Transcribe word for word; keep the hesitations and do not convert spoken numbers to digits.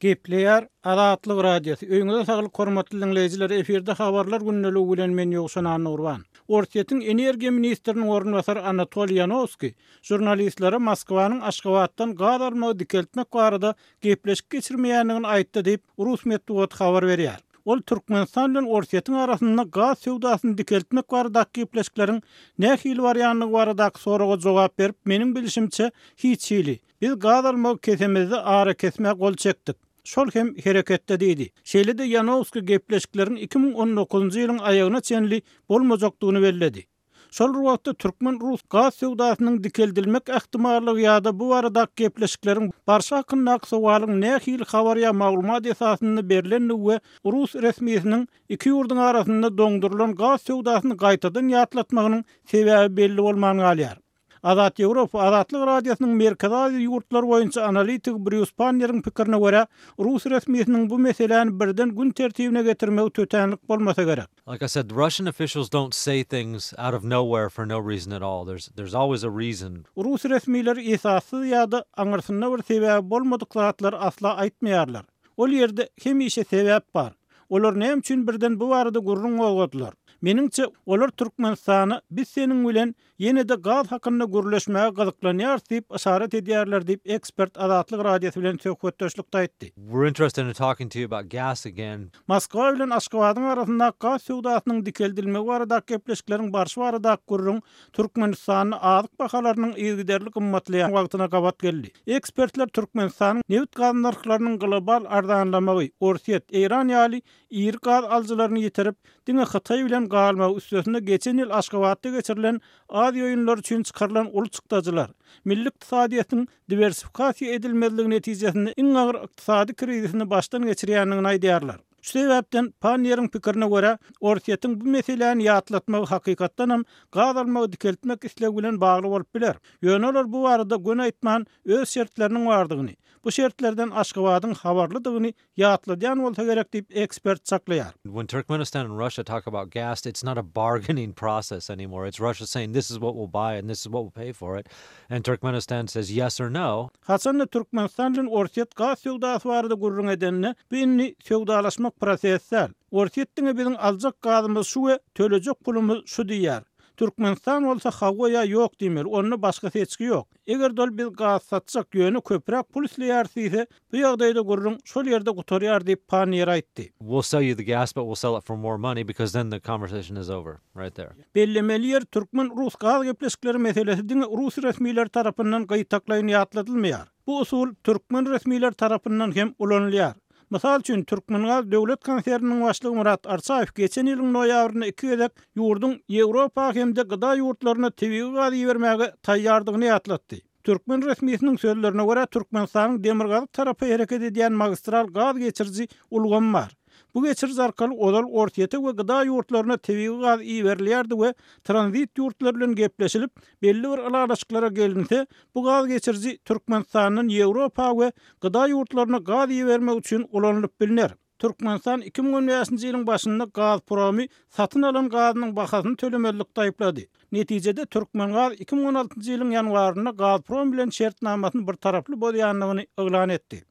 Gepleýär Azatlyk Radiosy. Öýüňize saglyk hormatly diňleýjiler. Efirde habarlar gündeligi bilen men Ýowşan Annagurban. Orsýetiň energiýa ministriniň orunbasary Anatoliý Ýanowskiý žurnalistlere Moskwanyň Aşgabatdan gaz almagy dikeltmek barada gepleşik geçirmeýändigini aýtdy diýip, rus metbugaty habar berýär. Ol Türkmenistan bilen Orsýetiň arasynda gaz söwdasyny dikeltmek baradaky gepleşikleriň nähili barýandygy baradaky soraga jogap berip, meniň bilşimçe hiç hili. Biz gaz almagy kesemizde arakesmä gol çekdik. Şol hem hereketde diýdi. Şeýle-de Ýanowskiý gepleşikleriň iki müň on dokuzynjy ýylyň aýagyna çenli bolmajakdygyny belledi. Şol bir wagtda türkmen-rus gaz söwdasynyň dikeldilmek ähtimallygy ýa-da bu baradaky gepleşikleriň barşy hakyndaky sowalyň nähili habar ýa maglumat esasynda berilendigi we rus resmisiniň iki ýurduň arasynda doňdurylan gaz söwdasyny gaýtadan ýatlatmagynyň sebäbi belli bolman galýar. Azat Ýewropa Azatlyk Radiosynyň Merkezi Aziýa ýurtlary boýunça analitik Brýus Panneriň pikirine görä, rus resmisiniň bu meseläni birden gün tertibine getirmegi tötänlik bolmasa gerek. Like I said, Russian officials don't say things out of nowhere for no reason at all. There's, there's always a reason. Rus resmileri esassyz ýa-da aňyrsynda bir sebäbi bolmadyk zatlary asla aýtmaýarlar. Ol ýerde hemişe sebäp bar. Olar näme üçin birden bu barada gürrüň gozgadylar? Meniňçe, olar Türkmenistana biz seniň bilen ýene-de gaz hakynda gürleşmäge gyzyklanýarys diýip yşarat edýärler diýip ekspert Azatlyk Radiosy bilen söhbetdeşlikde aýtdy. We're interested in talking to you about gas again. Moskwa bilen Aşgabadyň arasynda gaz söwdasynyň dikeldilmegi baradaky gepleşikleriň barşy baradaky gürrüň Türkmenistanda azyk bahalarynyň yzygiderli gymmatlaýan wagtyna gabat geldi. Ekspertler Türkmenistanyň nebit gaz nyrhlarynyň global arzanlamagy, Orsýet, Eýran ýaly iri gaz alyjylaryny ýitirip, diňe Hytaý bilen galmagy üstesinde geçen ýyl Aşgabatda geçirilen Aziýa oýunlary üçin çykarylan uly çykdajylar, milli ykdysadyýetiň diwersifikasiýa edilmezligi netijesinde iň agyr ykdysady krizisini başdan geçirýändigini aýdýarlar. Şu sebäpden Panneriň pikirine görä, Orsýetiň bu meseläni ýatlatmagy hakykatdanam gaz almagy dikeltmek islegi bilen bagly bolup biler. Ýöne olar bu barada göni aýtman öz şertleriniň bardygyny, bu şertlerden Aşgabadyň habarlydygyny ýatladýan bolsa gerek diýip ekspert çaklaýar. When Turkmenistan and Russia talk about gas, it's not a bargaining process anymore. It's Russia saying this is what we'll buy and this is what we'll pay for it. And Turkmenistan says yes or no. Haçanda Türkmenistan bilen Orsýet gaz söwdasy barada gürrüň edende, bu indi söwdalaşmak prosesi däl. Orsýet diňe biziň aljak gazymyz şu we tölejek pulumyz şu diýýär. Türkmenistan bolsa hawa ýa ýok diýmeli, onda başga seçgi ýok. Eger dol biz gaz satjak, ýöne köpräk pul isleýär diýse, bu ýagdaýda gürrüň şol ýerde gutarýar diýip Panniýer aýtdy. We'll sell you the gas, but we'll sell it for more money because then the conversation is over right there. Bellemeli ýer türkmen-rus gaz gepleşikleri meselesi diňe rus resmileri tarapyndan gyýtaklaýyn ýatladylmaýar. Bu usul türkmen resmileri tarapyndan hem ulanylýar. Mysal üçin Türkmengaz döwlet konserniniň başlygy Murat Arçaýew geçen ýylyň noýabrynda iki gezek ýurduň Ýewropa hem-de gıda ýurtlaryna tebigy gaz ibermäge taýýardygyny ýatlatdy. Türkmen resmisiniň sözlerine görä Türkmenistanyň demirgazyk tarapy hereket edýän magistral gaz geçiriji ulgamy bar. Bu geçiriji arkaly ozal Orsýete we gıda ýurtlaryna tebigy gaz iberilýärdi we tranzit ýurtlar bilen gepleşilip belli bir ylalaşyklara gelinse, bu gaz geçiriji Türkmenistandan Ýewropa we gıda ýurtlaryna gaz ibermek üçin ulanylyp bilner. Türkmenistan iki müň on bäşinji ýylyň başynda Gazpromy satyn alan gazynyň bahasyny tölemezlikde aýyplady. Netijede Türkmengaz iki müň on altynjy ýylyň ýanwarynda Gazprom bilen şertnamasyny bir taraply bozýandygyny yglan etdi.